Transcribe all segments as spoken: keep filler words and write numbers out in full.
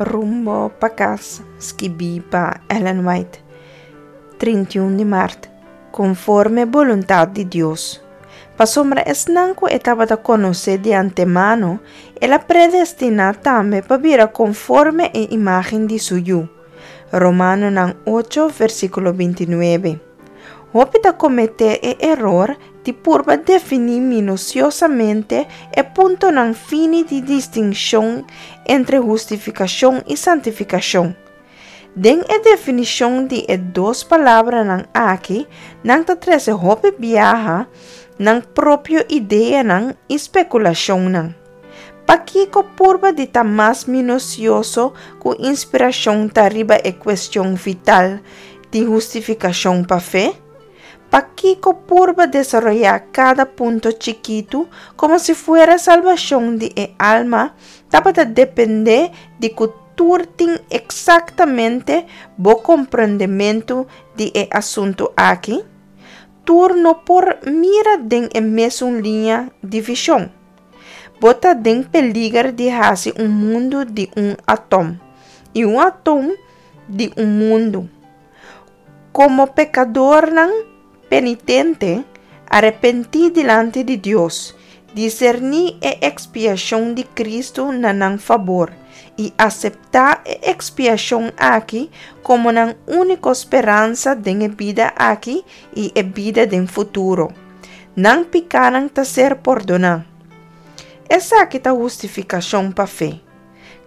Rumbo pa Kas, skibí pa Ellen White, trinta i un di mart, konforme boluntat di Dios. Pasobra esnan ku e tabata konosé di antemano, el a predestiná tambe pa bira konforme e imágen di su Yu. Romanonan ocho, versíkulo binti nuebe. Hopi ta kometé e eror di purba definí minusiosamente e puntonan fini di distinshon entre hustifikashon i santifikashon. Den e definishon di e dos palabranan aki, nan ta trese hopi biaha nan propio ideanan i spekulashonnan. Pakiko purba di ta mas minusioso ku inspirashon ta riba e kuestion vital di hustifikashon pa fe? Pakiko purba desaroyá kada punto chikitu komo si fuera salbashon di e alma tabata dependé di ku tur tin eksaktamente bo komprondementu di e asuntu aki? Tur no por mira den e mesun liña di vishon. Bo ta den peliger di hasi un mundu di un atom i un atom di un mundu. Komo pekadornan penitente, arepentí dilanti di Dios, diserní e ekspiashon di Kristu na nan fabor i aseptá e ekspiashon aki komo nan úniko speransa den e bida aki i e bida den futuro. Nan pikánan ta ser pordoná. Esaki ta hustifikashon pa fe.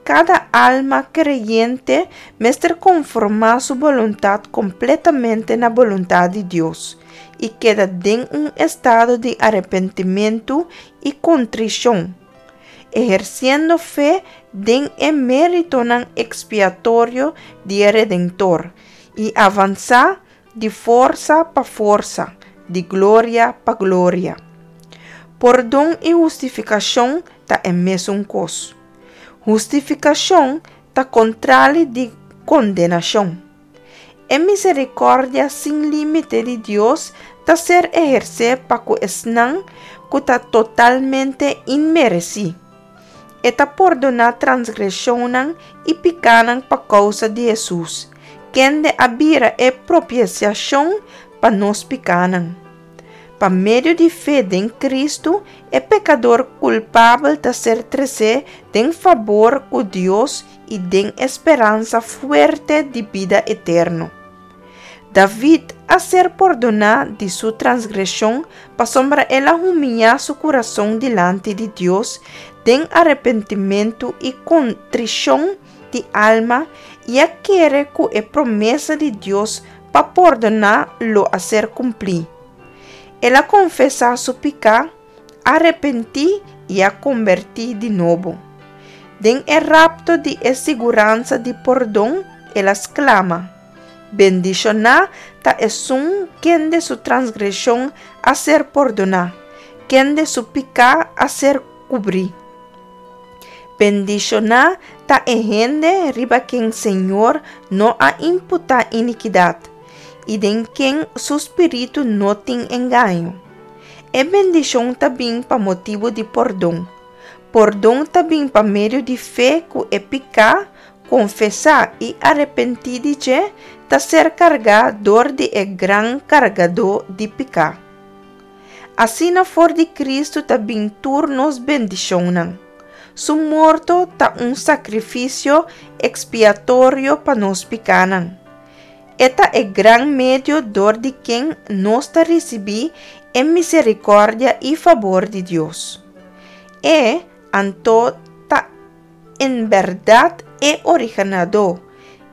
Kada alma kreyente mester konformá su boluntat kompletamente na boluntat di Dios i keda den un estado di arepentimentu i kontrishon, ehersiendo fe den e méritonan ekspiatorio di e Redentor i avansá di forsa pa forsa, di gloria pa gloria. Pordon i hustifikashon ta e mesun kos. Hustifikashon ta kontrali di kondenashon. E miserikòrdia sin límite di Dios ta ser ehersé pa ku esnan ku ta totalmente inmeresí. E ta pordoná transgreshonnan i pikánan pa kousa di Hesus, kende a bira e propisiashon pa nos pikánan. Pa medio di fe den Kristu, e pekador kulpabel ta ser tresé den fabor ku Dios i den e speransa fuerte di bida eterno. David a ser pordoná di su transgreshon pasobra el a humiá su kurason dilanti di Dios den arepentimentu i kontrishon di alma i a kere ku e promesa di Dios pa pordoná lo a ser kumplí. El a konfesá su piká, arepentí i a kombertí di nobo. Den e rapto di e siguransa di pordon, el a sklama, Bendishoná ta esun kende su transgreshon a ser pordoná, kende su piká a ser kubrí. Bendishoná ta e hende riba ken Señor no a imputá inikidat, i den ken su spiritu no tin engaño. E bendishon ta bin pa motibu di pordon. Pordon ta bin pa medio di fe ku e piká, konfesá i arepentí di dje, ta ser kargá dor di e gran Kargadó di piká. Asina for di Kristu ta bin tur nos bendishonnan. Su morto ta un sakrifisio ekspiatorio pa nos pikánan. E ta e gran medio dor di ken nos ta risibí e miserikòrdia i fabor di Dios. E, anto, ta en bèrdat e originadó,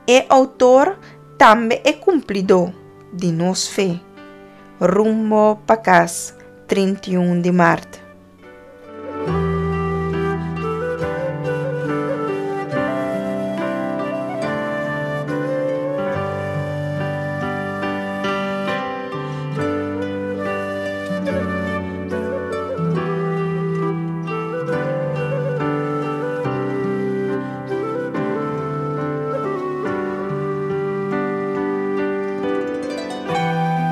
e outor, tambe e kumplidó, di nos fe. Rumbo pa Kas, trinta i un di mart.